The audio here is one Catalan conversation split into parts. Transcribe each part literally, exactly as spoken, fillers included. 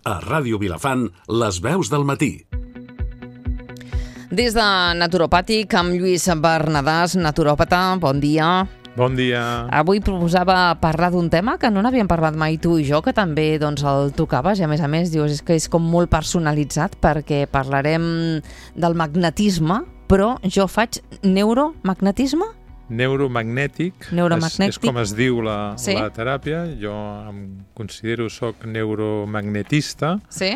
A Ràdio Vilafant, les veus del matí. Des de Naturopàtic, amb Lluís Bernadàs, naturòpata, bon dia. Bon dia. Avui proposava parlar d'un tema que no n'havíem parlat mai tu i jo, que també doncs, el tocaves, i a més a més dius és que és com molt personalitzat, perquè parlarem del magnetisme, però jo faig neuromagnetisme? Neuromagnètic, Neuromagnètic. És, és com es diu la, Sí. la teràpia. Jo em considero soc neuromagnetista. Sí.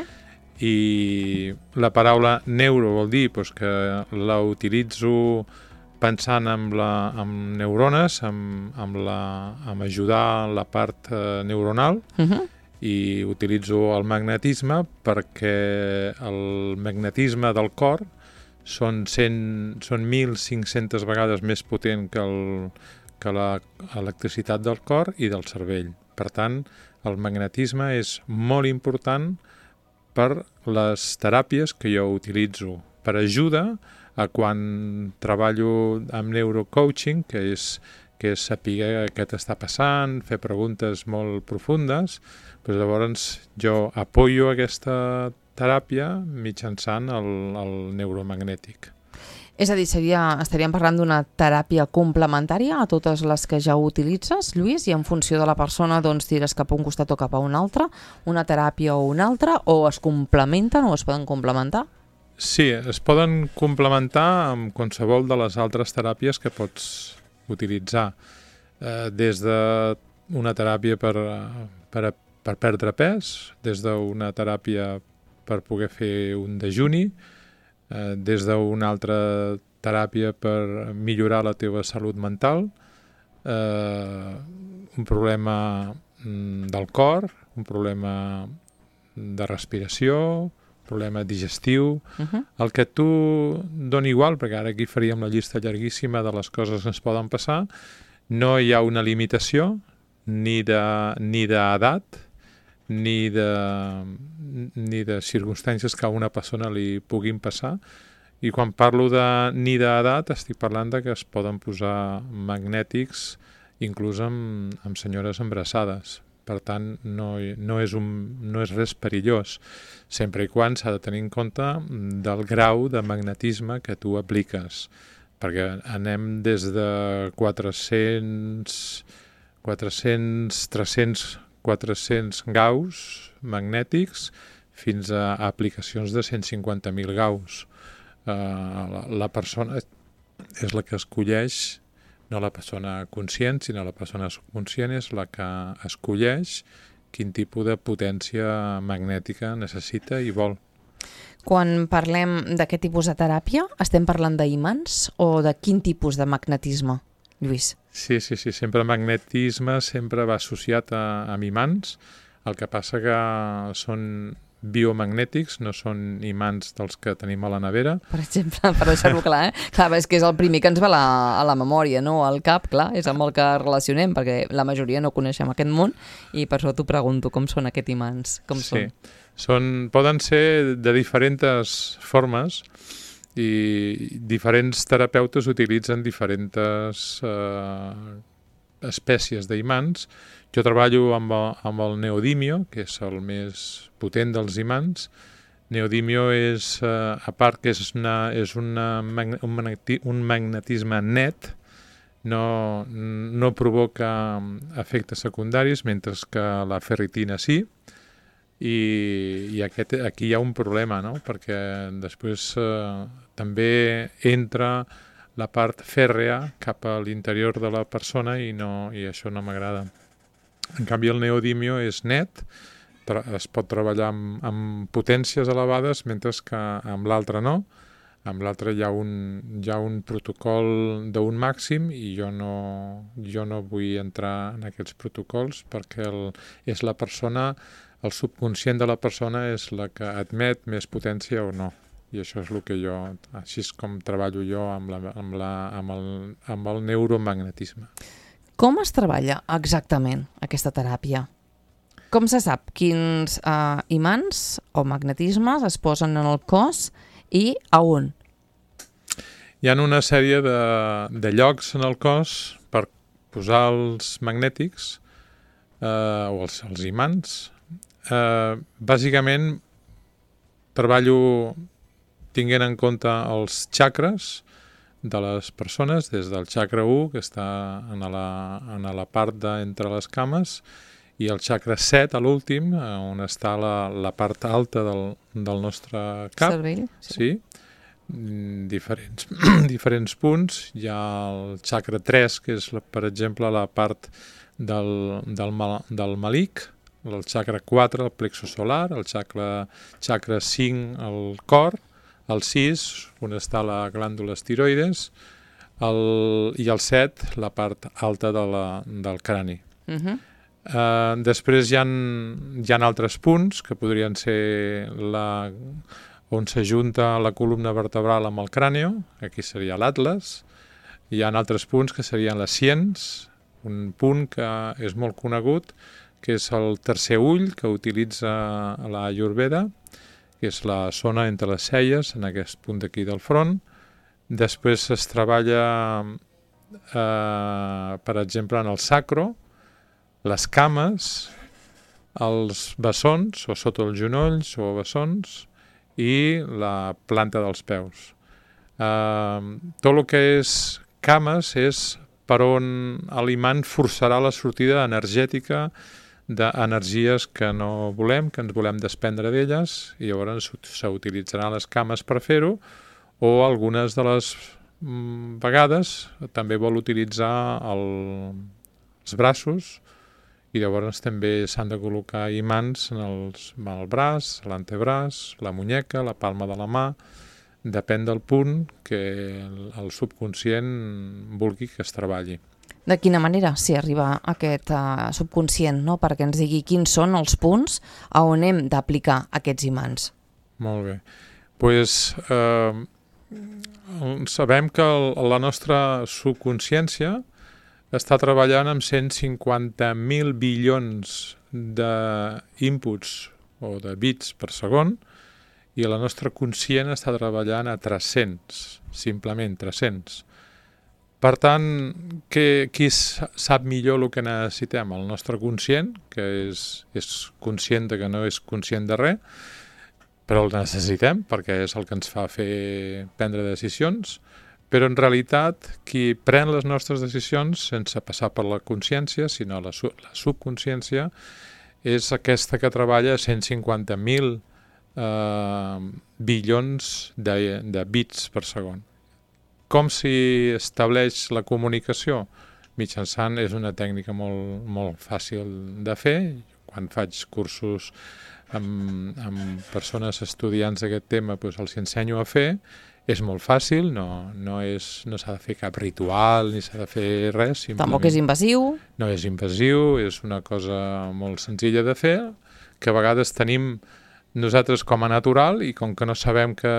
I la paraula neuro vol dir doncs, que la utilitzo pensant en, la, en neurones, en, en, la, en ajudar la part eh, neuronal, Uh-huh. i utilitzo el magnetisme perquè el magnetisme del cor són, cent, són mil cinc-centes vegades més potent que, el, que l'electricitat del cor i del cervell. Per tant, el magnetisme és molt important per les teràpies que jo utilitzo, per ajuda a quan treballo amb neurocoaching, que és, que és saber què t'està passant, fer preguntes molt profundes, doncs llavors jo apoyo aquesta teràpia mitjançant el, el neuromagnètic. És a dir, seria, estaríem parlant d'una teràpia complementària a totes les que ja utilitzes, Lluís, i en funció de la persona doncs tires cap a un costat o cap a un altre, una teràpia o una altra, o es complementen o es poden complementar? Sí, es poden complementar amb qualsevol de les altres teràpies que pots utilitzar, eh, des d'una teràpia per, per, per perdre pes, des d'una teràpia per poder fer un dejuni, eh, des d'una altra teràpia per millorar la teva salut mental, eh, un problema mm, del cor, un problema de respiració, problema digestiu, Uh-huh. el que tu doni igual, perquè ara aquí faríem la llista llarguíssima de les coses que ens poden passar. No hi ha una limitació ni de ni d'edat, ni de, ni de circumstàncies que a una persona li puguin passar. I quan parlo de ni d'edat, estic parlant de que es poden posar magnètics inclús amb, amb senyores embarassades. Per tant, no, no, és un, no és res perillós, sempre i quan s'ha de tenir en compte del grau de magnetisme que tu apliques, perquè anem des de quatre-cents, quatre-cents, tres-cents, quatre-cents gaus magnètics fins a aplicacions de cent cinquanta mil gaus. Uh, la, la persona és la que escolleix, no la persona conscient, sinó la persona subconscient és la que escolleix quin tipus de potència magnètica necessita i vol. Quan parlem d'aquest tipus de teràpia, estem parlant d'imants o de quin tipus de magnetisme, Lluís? Sí, sí, sí, sempre magnetisme sempre va associat a, amb imants, el que passa que són biomagnètics, no són imants dels que tenim a la nevera. Per exemple, per deixar-ho clar, eh? Clar, és que és el primer que ens va a la, a la memòria, no? Al cap, clar, és amb el que relacionem, perquè la majoria no coneixem aquest món, i per això t'ho pregunto, com són aquests imants? Com Sí, són? són, poden ser de diferents formes, i diferents terapeutes utilitzen diferents eh, espècies d'imants. Jo treballo amb el, amb el neodimio, que és el més potent dels imants. Neodimio és, eh, a part que és, una, és una, un, magneti, un magnetisme net, no, no provoca efectes secundaris, mentre que la ferritina sí. I, i aquest, aquí hi ha un problema, no? Perquè després eh, també entra la part fèrrea cap a l'interior de la persona i, no, i això no m'agrada. En canvi, el neodimio és net, es pot treballar amb, amb potències elevades, mentre que amb l'altre no. Amb l'altre hi ha un, hi ha un protocol d'un màxim i jo no, jo no vull entrar en aquests protocols perquè el, és la persona, el subconscient de la persona és la que admet més potència o no. I això és el que jo, així és com treballo jo amb, la, amb, la, amb, el, amb el neuromagnetisme. Com es treballa exactament aquesta teràpia? Com se sap quins eh, imants o magnetismes es posen en el cos i a on? Hi ha una sèrie de, de llocs en el cos per posar els magnètics eh, o els, els imants eh, bàsicament treballo tinguent en compte els xacres de les persones, des del xacra u, que està en la, en la part de, entre les cames, i el xacra set, a l'últim, on està la, la part alta del, del nostre cap. Cervell, sí. Sí. Diferents, diferents punts. Hi ha el xacra tres, que és, per exemple, la part del, del, mal, del malic, el xacra quatre, el plexo solar, el xacra, xacra cinc, el cor, el sis, on està la glàndula tiroides, el, i el set, la part alta de la, del crani. Uh-huh. Uh, després hi ha, hi ha altres punts que podrien ser la, on s'ajunta la columna vertebral amb el cràneo, aquí seria l'atles. Hi ha altres punts que serien les siens, un punt que és molt conegut, que és el tercer ull que utilitza la Ayurveda, que és la zona entre les celles, en aquest punt d'aquí del front. Després es treballa, eh, per exemple, en el sacro, les cames, els bessons, o sota els genolls, o bessons, i la planta dels peus. Eh, tot el que és cames és per on l'imant forçarà la sortida energètica d'energies que no volem, que ens volem desprendre d'elles, i llavors s'utilitzaran les cames per fer-ho, o algunes de les mm, vegades també vol utilitzar el, els braços, i llavors també s'han de col·locar imants en, els, en el braç, l'antebraç, la muñeca, la palma de la mà, depèn del punt que el, el subconscient vulgui que es treballi. De quina manera s'hi arriba a aquest uh, subconscient, no? Perquè ens digui quins són els punts a on hem d'aplicar aquests imants. Molt bé. Pues, eh, sabem que el, la nostra subconsciència està treballant amb cent cinquanta mil bilions d'inputs o de bits per segon, i la nostra conscient està treballant a tres-cents, simplement tres-cents. Per tant, que, qui sap millor el que necessitem? El nostre conscient, que és, és conscient de que no és conscient de res, però el necessitem perquè és el que ens fa fer prendre decisions, però en realitat qui pren les nostres decisions sense passar per la consciència, sinó la, la subconsciència, és aquesta que treballa a cent cinquanta mil eh, bilions de, de bits per segon. Com s'hi estableix la comunicació? Mitjançant és una tècnica molt, molt fàcil de fer. Quan faig cursos amb, amb persones estudiants d'aquest tema, doncs els ensenyo a fer. És molt fàcil, no, no, és, no s'ha de fer cap ritual, ni s'ha de fer res. Tampoc és invasiu. No és invasiu, és una cosa molt senzilla de fer, que a vegades tenim nosaltres com a natural, i com que no sabem que,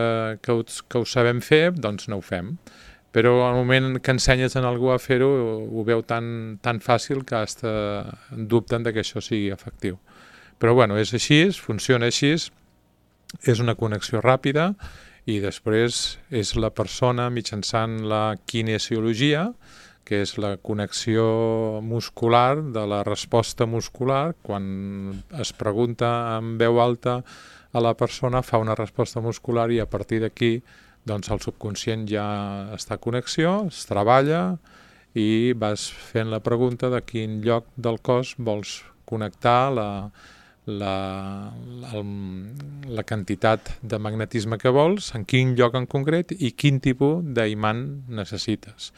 que, ho, que ho sabem fer, doncs no ho fem. Però al moment que ensenyes a algú a fer-ho, ho veu tan, tan fàcil que hasta dubten de que això sigui efectiu. Però bueno, és així, funciona així, és una connexió ràpida, i després és la persona mitjançant la kinesiologia, que és la connexió muscular de la resposta muscular. Quan es pregunta en veu alta a la persona, fa una resposta muscular, i a partir d'aquí doncs el subconscient ja està a connexió, es treballa i vas fent la pregunta de quin lloc del cos vols connectar la, la, la, la quantitat de magnetisme que vols, en quin lloc en concret i quin tipus d'imant necessites.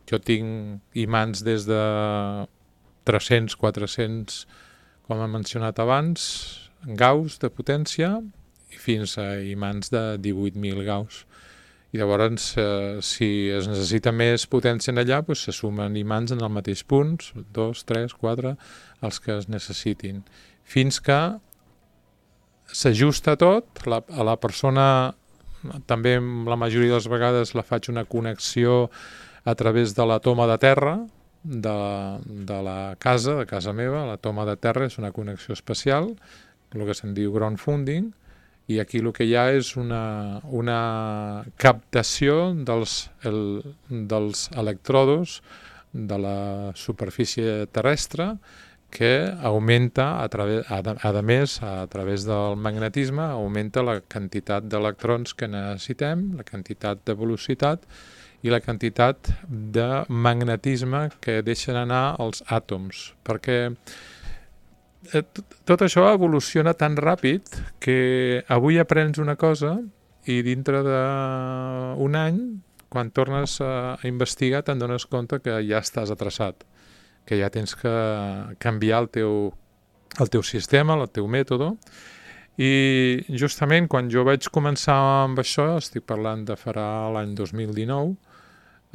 Jo tinc imants des de tres-cents, quatre-cents, com he mencionat abans, gauss de potència, i fins a imants de divuit mil gauss. I llavors, eh, si es necessita més potència en allà, doncs se sumen imants en el mateix punt, dos, tres, quatre, els que es necessitin. Fins que s'ajusta tot, la, a la persona, també la majoria de les vegades la faig una connexió a través de la toma de terra de, de la casa, de casa meva. La toma de terra és una connexió especial, el que se'n diu ground funding, i aquí el que hi ha és una, una captació dels, el, dels electrodos de la superfície terrestre que augmenta, a, través, a, a més, a través del magnetisme, augmenta la quantitat d'electrons que necessitem, la quantitat de velocitat i la quantitat de magnetisme que deixen anar els àtoms, perquè tot això evoluciona tan ràpid que avui aprens una cosa i dintre d'un any, quan tornes a investigar, te'n dones compte que ja estàs atrasat, que ja tens que canviar el teu, el teu sistema, el teu mètode. I justament quan jo vaig començar amb això, estic parlant de farà l'any dos mil dinou,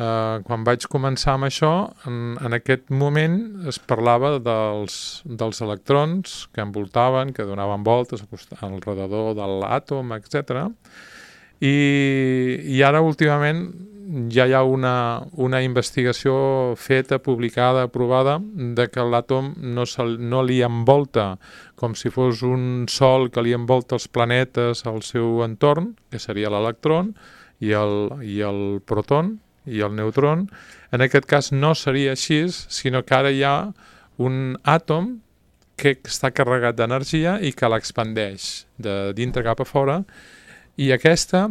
eh, quan vaig començar amb això, en, en aquest moment es parlava dels, dels electrons que envoltaven, que donaven voltes al redador de l'àtom, etcètera. I, i ara últimament ja hi ha una, una investigació feta, publicada, aprovada, de que l'àtom no, se, no li envolta com si fos un sol que li envolta els planetes al seu entorn, que seria l'electron, i el, i el proton, i el neutron. En aquest cas no seria així, sinó que ara hi ha un àtom que està carregat d'energia i que l'expandeix de dintre cap a fora. I aquesta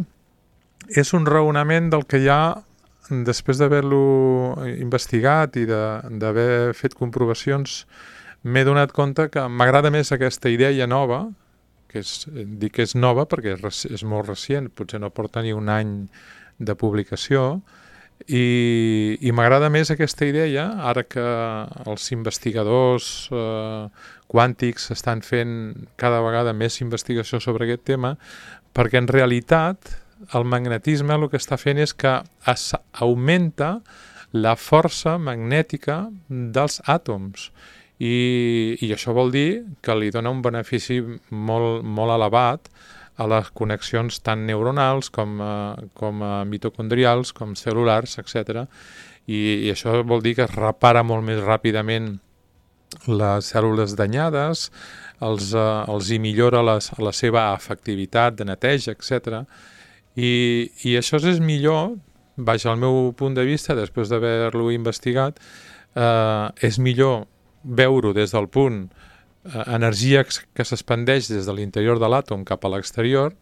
és un raonament del que ja, després d'haver-lo investigat i d'haver fet comprovacions, m'he donat compte que m'agrada més aquesta idea nova, que és, dic que és nova perquè és, és molt recient, potser no porta ni un any de publicació, i, i m'agrada més aquesta idea, ara que els investigadors eh, quàntics estan fent cada vegada més investigació sobre aquest tema, perquè en realitat el magnetisme el que està fent és que es augmenta la força magnètica dels àtoms i, i això vol dir que li dona un benefici molt, molt elevat a les connexions tant neuronals com, uh, com uh, mitocondrials, com cel·lulars, etcètera. I, I això vol dir que es repara molt més ràpidament les cèl·lules danyades, els, uh, els hi millora les, la seva efectivitat de neteja, etcètera. I, i això és millor, baix al meu punt de vista, després d'haver-lo investigat, eh, és millor veure-ho des del punt eh, energia que s'expandeix des de l'interior de l'àtom cap a l'exterior,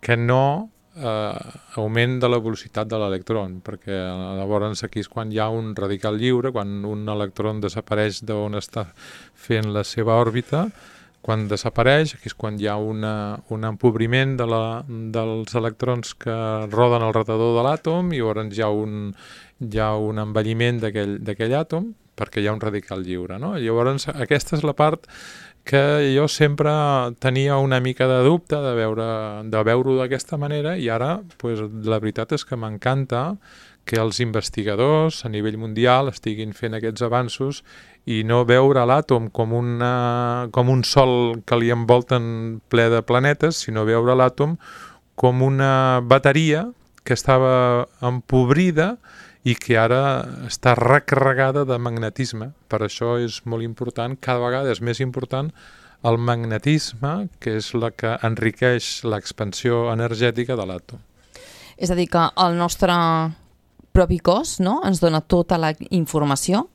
que no eh, augment de la velocitat de l'electron, perquè llavors aquí és quan hi ha un radical lliure, quan un electron desapareix d'on està fent la seva òrbita. Quan desapareix, aquí és quan hi ha una, un empobriment de la, dels electrons que roden al redador de l'àtom i llavors hi ha un, hi ha un envelliment d'aquell àtom perquè hi ha un radical lliure, no? Llavors aquesta és la part que jo sempre tenia una mica de dubte de veure, de veure-ho d'aquesta manera i ara pues, la veritat és que m'encanta que els investigadors a nivell mundial estiguin fent aquests avanços i no veure l'àtom com, una, com un sol que li envolten ple de planetes, sinó veure l'àtom com una bateria que estava empobrida i que ara està recarregada de magnetisme. Per això és molt important, cada vegada és més important el magnetisme, que és la que enriqueix l'expansió energètica de l'àtom. És a dir, que el nostre propi cos, no?, ens dona tota la informació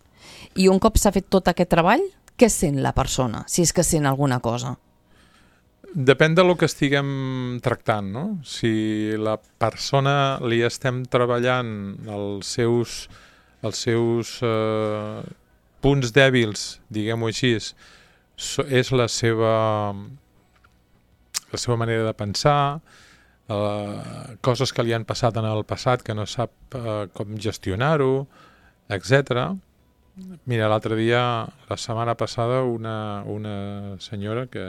i un cop s'ha fet tot aquest treball, què sent la persona, si és que sent alguna cosa? Depèn del que estiguem tractant, no? Si la persona li estem treballant els seus, els seus eh, punts dèbils, diguem-ho així, és la seva, la seva manera de pensar, eh, coses que li han passat en el passat que no sap eh, com gestionar-ho, etcètera. Mira, l'altre dia, la setmana passada, una, una senyora que,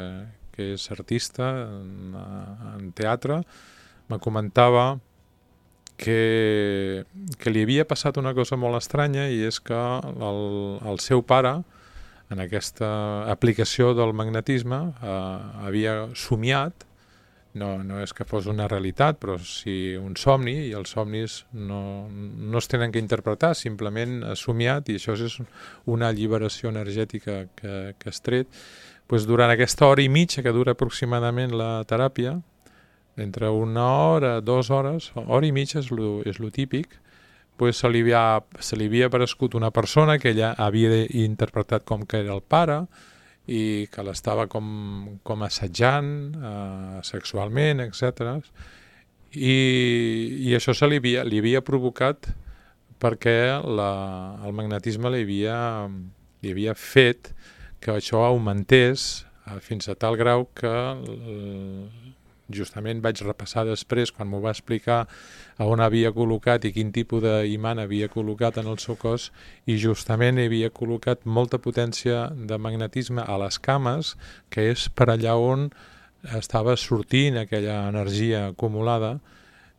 que és artista en, en teatre me comentava que, que li havia passat una cosa molt estranya i és que el, el seu pare, en aquesta aplicació del magnetisme, eh, havia somiat. No, no és que fos una realitat, però sí un somni, i els somnis no, no es tenen que interpretar, simplement ha somiat, i això és una alliberació energètica que, que has tret. Pues durant aquesta hora i mitja que dura aproximadament la teràpia, entre una hora, dues hores, hora i mitja és lo, és lo típic, pues, se, li havia, se li havia aparegut una persona que ella havia interpretat com que era el pare i que l'estava com, com assetjant eh, sexualment, etcètera. I, i això se li havia, li havia provocat perquè la, el magnetisme li havia, li havia fet que això augmentés eh, fins a tal grau que eh, justament vaig repassar després, quan m'ho va explicar, a on havia col·locat i quin tipus d'imant havia col·locat en el seu cos, i justament hi havia col·locat molta potència de magnetisme a les cames, que és per allà on estava sortint aquella energia acumulada,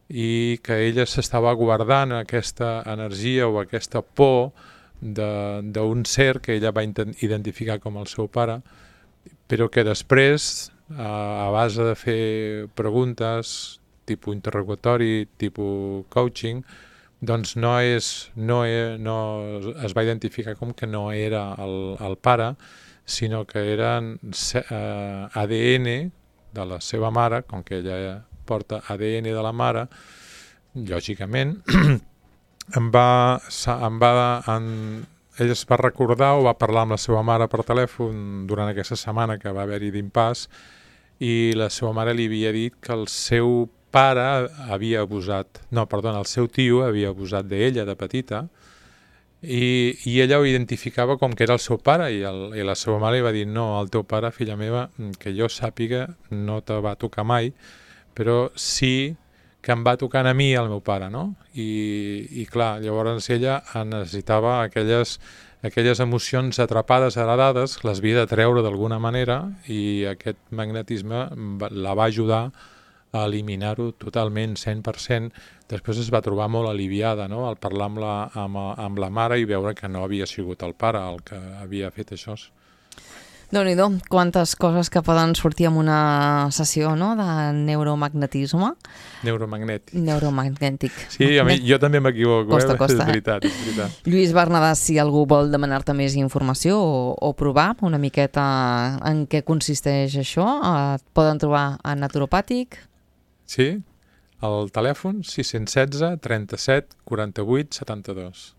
i que ella s'estava guardant aquesta energia o aquesta por d'un ser que ella va identificar com el seu pare, però que després, a base de fer preguntes, tipus interrogatori, tipus coaching, doncs no, és, no, és, no es va identificar com que no era el, el pare, sinó que eren eh, A D N de la seva mare, com que ella porta A D N de la mare, lògicament, em va, em va, en, ell es va recordar o va parlar amb la seva mare per telèfon durant aquesta setmana que va haver-hi d'impàs, i la seva mare li havia dit que el seu pare havia abusat, no, perdona, el seu tio havia abusat d'ella de petita, i, i ella ho identificava com que era el seu pare, i, el, i la seva mare li va dir: no, el teu pare, filla meva, que jo sàpiga, no te va tocar mai, però sí que em va tocant a mi el meu pare, no? I, i clar, llavors ella necessitava aquelles, aquelles emocions atrapades, heredades, les havia de treure d'alguna manera, i aquest magnetisme la va ajudar a eliminar-ho totalment, cent per cent. Després es va trobar molt aliviada, no?, al parlar amb la, amb, amb la mare i veure que no havia sigut el pare el que havia fet això. Déu-n'hi-do, quantes coses que poden sortir en una sessió, no?, de neuromagnetisme. Neuromagnètic. Neuromagnètic. Sí, a mi, jo també m'equivoco, costa, eh? costa, és veritat, és veritat. Lluís Bernadàs, si algú vol demanar-te més informació o, o provar una miqueta en què consisteix això, et poden trobar a Naturopàtic. Sí, el telèfon sis un sis, trenta-set, quaranta-vuit, setanta-dos.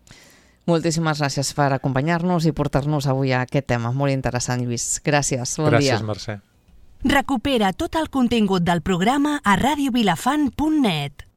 Moltíssimes gràcies per acompanyar-nos i portar-nos avui a aquest tema. Molt interessant, Lluís. Gràcies, bon gràcies, dia. Gràcies, Mercè. Recupera tot el contingut del programa a radio vilafant punt net.